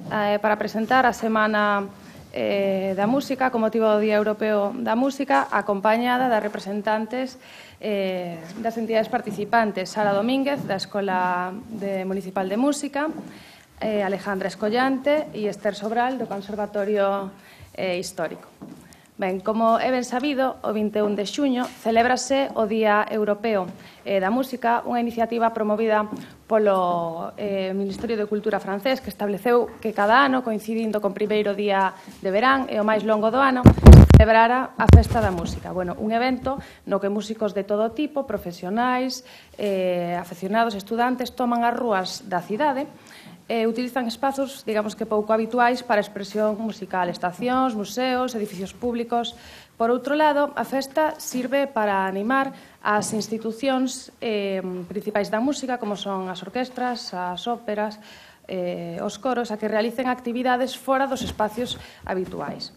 para presentar a Semana da Música con motivo do Día Europeo da Música, acompañada das representantes das entidades participantes, Sara Domínguez, da Escola Municipal de Música, Alejandra Escollante e Esther Sobral, do Conservatorio Histórico. Ben, como é ben sabido, o 21 de xuño celébrase o Día Europeo da Música, unha iniciativa promovida polo Ministerio de Cultura francés, que estableceu que cada ano, coincidindo con o primeiro día de verán e o máis longo do ano, celebrara a Festa da Música. Bueno, un evento no que músicos de todo tipo, profesionais, afeccionados, estudantes, toman as rúas da cidade e utilizan espazos, digamos que pouco habituais para a expresión musical, estacións, museos, edificios públicos. Por outro lado, a festa sirve para animar as institucións principais da música, como son as orquestras, as óperas, os coros, a que realicen actividades fora dos espacios habituais.